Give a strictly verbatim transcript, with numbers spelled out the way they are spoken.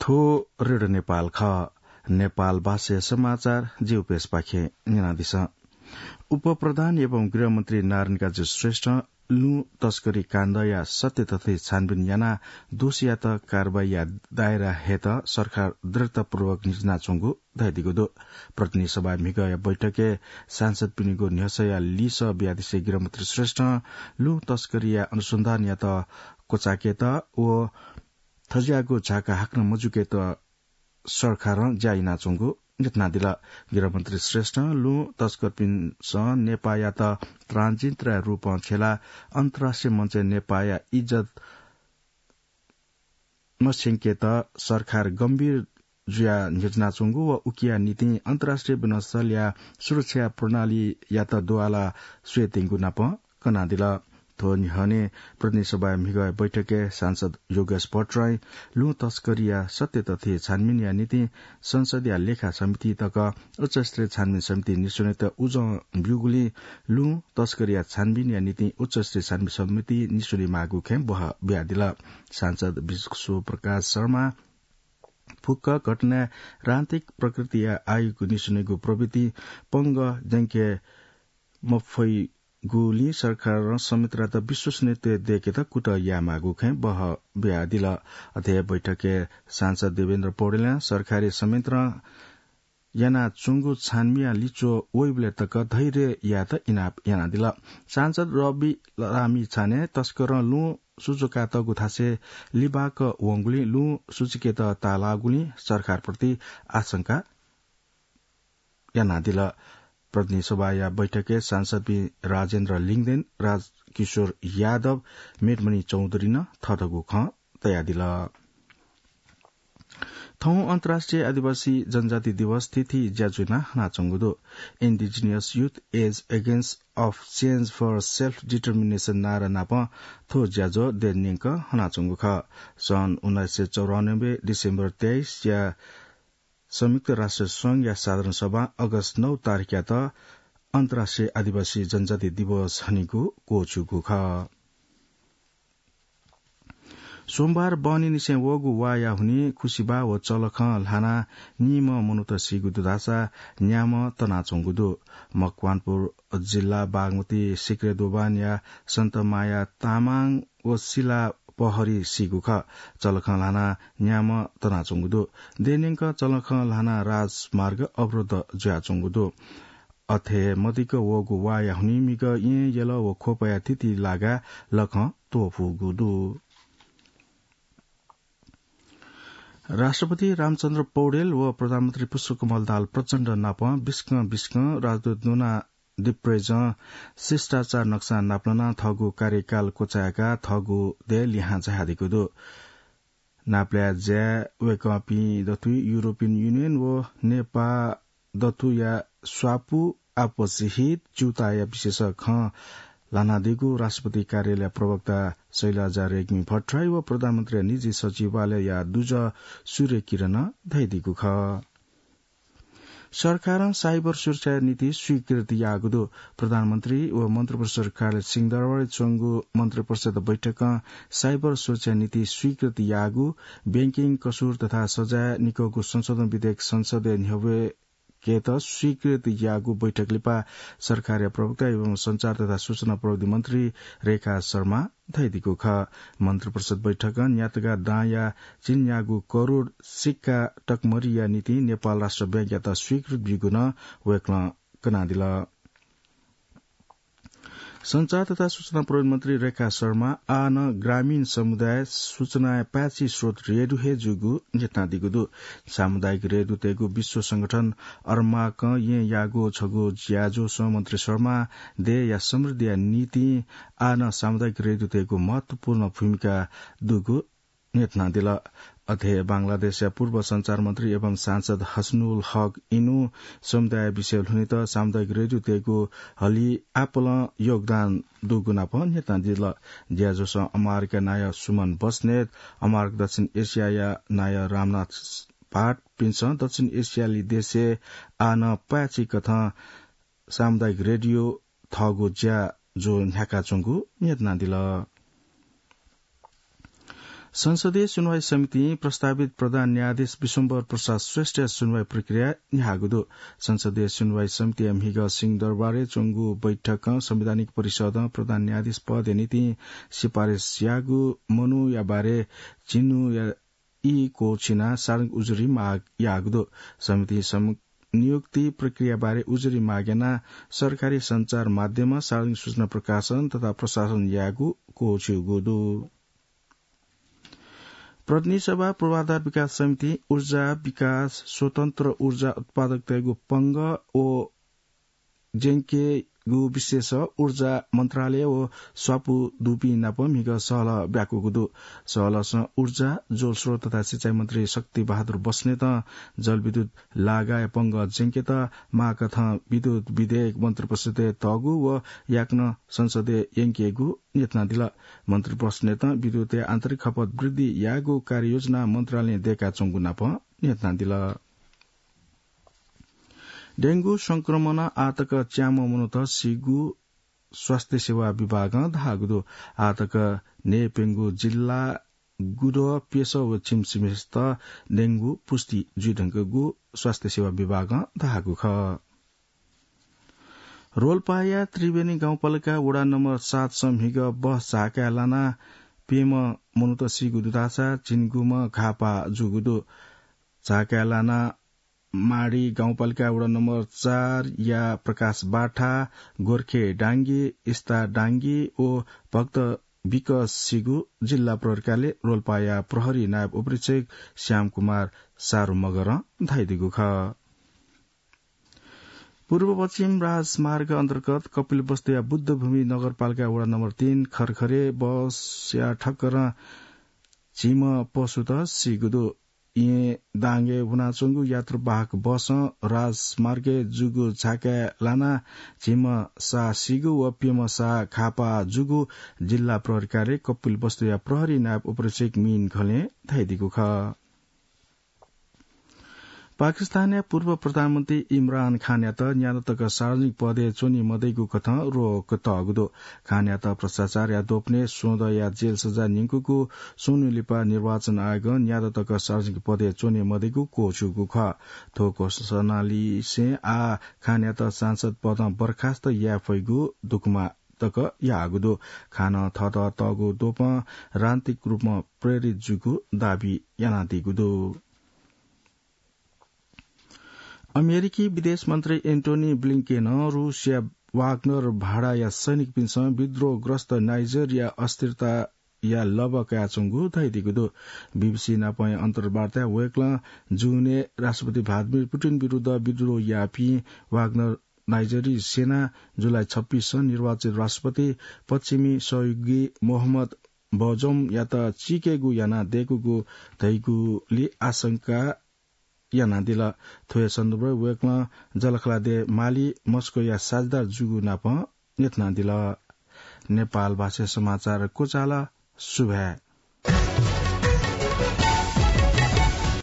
थ्व रेडियो नेपाल खः। नेपाल भाषाया समाचार जिगु पेजपाखें न्यनादिसँ। उपप्रधान एवं गृहमन्त्री नारायणकाजी श्रेष्ठ लुँ तस्करी काण्डया सत्य तथ्य छानबिन यानाः दोषीयात कारवाहीया दायरा हयेत सरकार दृढतापूर्वक न्ह्यचिनाच्वंगु धयादीगु दु। प्रतिनिधि सभा म्हिगःया बैठकय् सांसदपिनिगु न्ह्यसःया लिसः बियादिसें गृहमन्त्री श्रेष्ठं लुँ तस्करीया अनुसन्धानयात क्वचायेकेत व थज्याःगु झाका हाकनं मजुइकेत सरकारं ज्या यानाच्वंगु न्ह्यथनादिल। गृहमन्त्री श्रेष्ठं लुँ तस्करपिन्सं नेपाःयात त्राणजिनतराया रूपं छ्यलाः अन्तर्राष्ट्रिय मञ्चय् नेपाःया इज्जत मस्यंकेत सरकार गम्भीर जुयाः न्ह्यचिनाच्वंगु व उकिया निंतिं अन्तर्राष्ट्रिय विमानस्थलया सुरक्षा प्रणालीयात दुवाला स्वयेत्यंगु नाप कनादिल। थ्व न्ह्यःने प्रतिनिधि सभाया म्हिगःया बैठकय् सांसद योगेश भट्टराईं लुँ तस्करीया सत्य तथ्य छानबिनया निंतिं संसदया लेखा समिति तक उच्चस्तरीय छानबिन समिति निस्वनेत उजं ब्यूगुलिं लुँ तस्करीया छानबिनया निंतिं उच्चस्तरीय छानबिन समिति निस्वनेमाःगु खँय् बहः बियादिल। सांसद विश्वप्रकाश शर्मा फुक्क घटनाय् राजनीतिक प्रकृतिया आयोग निस्वनेगु प्रवृत्ति पंगः ज्यंके मफइगुलिं सरकारं संयन्त्रयात विश्वसनीयता दयेकेत कुतः यायेमाःगु खँय् बहः बियादिल। अथे हे बैठकय् सांसद देवेन्द्र पौडेलं सरकारी संयन्त्रं यानाच्वंगु छानबिनया लिच्वः वइबलय् तक धैर्य यायेत इनाप यानादिल। सांसद रवि लामिछानें तस्करं लुँ सुचुकातःगु थासय् लिबाक वंगुलिं लुँ सुचुकेत ताःलाःगुलिं सरकारप्रति आशंका यानादिल। प्रतिनिधि सभाया बैठकय् सांसदपिं राजेन्द्र लिङदेन, राजकिशोर यादव, मेटमणि चौधुरीं नं थःथःगु खँ तयादिल। थौं अन्तर्राष्ट्रिय आदिवासी जनजाति दिवस थीथी ज्याझ्वः यानाः हनाच्वंगु दु। Indigenous Youth Age Against of Change for Self Determination नारा नाप थ्व ज्याझ्वः देय् न्यंक हनाच्वंगु खः। सन् उन्नाइस सय चौरानब्बे डिसेम्बर तेइसया संयुक्त राष्ट्र संघया साधारण सभा अगस्त नौ तारिखयात अन्तर्राष्ट्रिय आदिवासी जनजाति दिवस हनेगु क्वःछिउगु खः। सोमबार बहनीनिसें वःगु वाःया हुनिं खुसिबाः व चलखं ल्हानाः नीम्ह मनूत सीगु दु धाःसा न्याम्ह तनाच्वंगु दु। मकवानपुर जिल्ला बागमती सिक्रे दोभानया सन्तमाया तामाङ व सिला पहरी सीगु खः। चलखं ल्हानाः न्याम्ह तनाच्वंगु दु। देय् न्यंक चलखं ल्हानाः राजमार्ग अवरुद्ध जुयाच्वंगु दु। अथे मदिक्क वःगु वाःया हुनिं म्हिगः येँ, यल व ख्वपया थीथी लागाय् लखं त्वःफूगु दु। राष्ट्रपति रामचन्द्र पौडेल व प्रधानमन्त्री पुष्पकमल दाहाल प्रचण्ड नाप बिस्कं बिस्कं राजदूत डोना डिप्रेजं शिष्टाचार नक्सां नापलानाः थःगु कार्यकाल क्वचाय्काः थःगु देय् लिहां झायादीगु दु। नापलाये ज्याय् वय्कःपिं दथुइ युरोपियन युनियन व नेपाः दथुया स्वापू, आपसी हित, च्यूताःया विषयय् खँ ल्हानादीगु राष्ट्रपति कार्यालय प्रवक्ता शैलजा रेग्मी भट्टराई व प्रधानमन्त्रीया निजी सचिवालयया दुजः सूर्य किरणं धयादीगु खः। सरकारं साइबर सुरक्षाया निंतिं स्वीकृति याःगु दु। प्रधानमन्त्री व मन्त्रिपरिषद कार्यालय सिंहदरबारय् च्वंगु मन्त्रिपरिषद बैठकं साइबर सुरक्षाया निंतिं स्वीकृति याःगु बैंकिङ कसुर तथा सजाय निकःगु संशोधन विधेयक संसदय् न्ह्यब्वय्केत स्वीकृति याःगु बैठक लिपा सरकारया प्रवक्ता एवं सञ्चार तथा सूचना प्रविधि मन्त्री रेखा शर्मां धयादीगु खः। मन्त्रिपरिषद बैठकं न्यातगा दांया झिंन्यागू करोड सिक्का टकमरीया निंतिं नेपाल राष्ट्र बैंकयात स्वीकृति ब्यूगु नं वय्कलं कनादिल। सञ्चार तथा सूचना प्रविधि मन्त्री रेखा शर्मां आः नं ग्रामीण समुदाय सूचनाया पाय्छि स्रोत रेडियो हे जूगु न्ह्यथनादीगु दु। सामुदायिक रेडियोतय्गु विश्व संगठन अर्माकं येँयागु छगू ज्याझ्वलय् मन्त्री शर्मां देय्या समृद्धिया निंतिं आः नं सामुदायिक रेडियोतय्गु महत्वपूर्ण भूमिका दुगु न्ह्यथनादिल। अथे हे बांग्लादेशया पूर्व सञ्चार मन्त्री एवं सांसद हसनुल हक इनु समुदाय विषय ल्हुनेत सामुदायिक रेडियोतय्गु हलिं आपालं योगदान दुगु नाप न्ह्यथनादिल। ज्याझ्वलय् अमारकया नायः सुमन बस्नेत, अमारक दक्षिण एसियाया नायः रामनाथ पाठपिन्सं दक्षिण एसियाली देशय् आः नं पाय्छि कथं सामुदायिक रेडियो थःगु ज्याझ्वः न्ह्याकाच्वंगु न्ह्यथनादिल। संसदीय सुनवाई समितिं प्रस्तावित प्रधान न्यायाधीश विश्वम्भर प्रसाद श्रेष्ठया सुनवाई प्रक्रिया न्ह्याःगु दु। संसदीय सुनवाई समितिया म्हिगः सिंहदरबारय् च्वंगु बैठकं संवैधानिक परिषदं प्रधान न्यायाधीश पदया निंतिं सिफारिस याःगु मनूया बारे झिन्हुया ई क्वःछिनाः सार्वजनिक उजुरी माग याःगु दु। समितिं सम-, नियुक्ति प्रक्रिया बारे उजुरी माग यानाः सरकारी सञ्चार माध्यममा सार्वजनिक सूचना प्रकाशन तथा प्रशासन यायेगु क्वःछिउगु दु। प्रतिनिधि सभा पूर्वाधार विकास समितिं ऊर्जा विकास, स्वतन्त्र ऊर्जा उत्पादकतय्गु पंगः व ज्याङ्केगु विशेष ऊर्जा मन्त्रालय व स्वापू दुपिं नाप म्हिगः सहलह ब्याकूगु दु। सहलहसं ऊर्जा, जलस्रोत तथा सिँचाइ मन्त्री शक्ति बहादुर बस्नेतं जलविद्युत लागाया पंगः ज्याङ्केत माःकथं विद्युत विधेयक मन्त्रिपरिषदय् तःगु व याकनं संसदय् यंकेगु न्ह्यथनादिल। मन्त्रिपरिषदं विद्युतया आन्तरिक खपत वृद्धि यायेगु कार्ययोजना मन्त्रालयं दय्काच्वंगु नाप न्ह्यथनादिल। डेंगू संक्रमणं आःतक च्याम्ह मनूत सीगु स्वास्थ्य सेवा विभागं धाःगु दु। आःतक न्हय्प्यंगू जिल्ला गुदः, प्यसः व छिमसिमय्त डेंगू पुष्टि जुइधुंकूगु स्वास्थ्य सेवा विभागं धाःगु खः। रोल्पाया त्रिवेणी गाउँपालिका वडा नम्बर सातसं म्हिगः बस झाकाय् लानाः प्यम्ह मनूत सीगु दु धाःसा झिंगुम्ह घाःपाः जूगु दु। झाकाय् लानाः माडी गाउँपालिका वडा नम्बर चारया प्रकाश बाठा, गोर्खे डांगी, इस्ता डांगी व भक्त विकस सीगु जिल्ला प्रहरी कार्यालय रोल्पाया प्रहरी नायब उपरीक्षक श्याम कुमार सारु मगरं धयादीगु खः। पूर्व पश्चिम राजमार्ग अन्तर्गत कपिलवस्तुया बुद्धभूमि नगरपालिका वडा नम्बर तीन खरखरे बसया ठक्करं झिम्ह पशुत सीगु दु। येँ दाङय् वनाच्वंगु यात्रुवाहक बसं राजमार्गय् जूगु झाकाय् लानाः झिम्ह साः सीगु व प्यम्ह साः घाःपाः जूगु जिल्ला प्रहरी कार्यालय कपिलवस्तुया प्रहरी नायब उपरीक्षक मिन घलें धयादीगु खः। पाकिस्तानया पूर्व प्रधानमन्त्री इमरान खानयात न्यादँ तक सार्वजनिक पदय् च्वने मदइगु कथं रोक तःगु दु। खानयात भ्रष्टाचारया दोपनय् स्वदँया जेल सजाय न्यंकूगु स्वन्हु लिपा निर्वाचन आयोगं न्यादँ तक सार्वजनिक पदय् च्वने मदइगु क्वःछिउगु खः। थ्व घोषणालिसें आः खानयात सांसद पदं बर्खास्त याये फइगु दुक्मा तक याःगु दु। खानं थःत तःगु द्वपं राजनीतिक रूपमा प्रेरित जूगु दाबी यानादीगु दु। अमेरिकी विदेश मन्त्री एन्टोनी ब्लिंकेनं रूसया वाग्नर भाडाया सैनिकपिन्सं विद्रोहग्रस्त नाइजरया अस्थिरताया लबा कयाच्वंगु धयादीगु दु। बीबीसी नापंया अन्तर्वार्ताय् वय्कलं जूनय् राष्ट्रपति भ्लादिमिर पुटिन विरुद्ध विद्रोह याःपिं वाग्नर नाइजरी सेनां जुलाई छब्बीसं निर्वाचित राष्ट्रपति पश्चिमी सहयोगी मोहम्मद बजोमयात चीकेगु यानादय्कूगु धइगुली आशंका यानादिल। थ्व हे सन्दर्भय् वय्कलं जःलाखःला देय् माली मस्कोया साझेदार जूगु नापं न्ह्यथनादिल। नेपाल भाषाय् समाचार क्वचाल। सुभाय्।